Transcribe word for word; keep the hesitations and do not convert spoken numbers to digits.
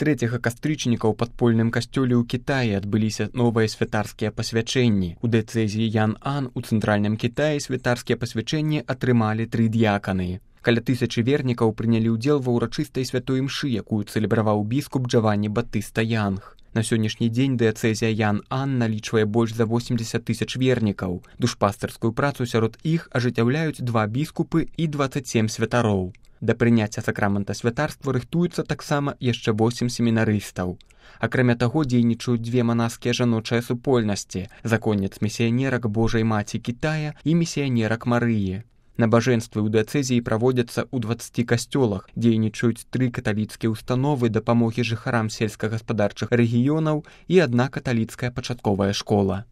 трэцяга кастрычніка ў падпольным касцёле ў Кітаі адбыліся новыя святарскія пасвячэнні. У дыяцэзіі Ян-Ан у цэнтральным Кітаі святарскія пасвячэнні атрымалі тры д'яканы. Каля тысячы вернікаў прынялі ўдзел ва ўрачыстай святой імшы, якую цэлебраваў біскуп Джаванні Батыста Янг. На сённяшні дзень дыяцэзія Ян-Ан налічвае больш за восемьдесят тысяч вернікаў. Душпастарскую працу сярод іх ажыццяўляюць два біскупы і дваццаць сем святароў. Да прыняцця сакрамента святарства рыхтуюцца таксама яшчэ восем семінарыстаў. Акрамя таго, дзейнічаюць дзве манаскія жаночыя супольнасці – законніц-місіянерак Божай Маці Кітая і місіянерак Марыі. Набажэнствы ў дыяцэзіі праводзяцца ў дваццаці касцёлах, дзейнічаюць тры каталіцкія ўстановы дапамогі жыхарам сельскагаспадарчых рэгіёнаў і адна каталіцкая пачатковая школа.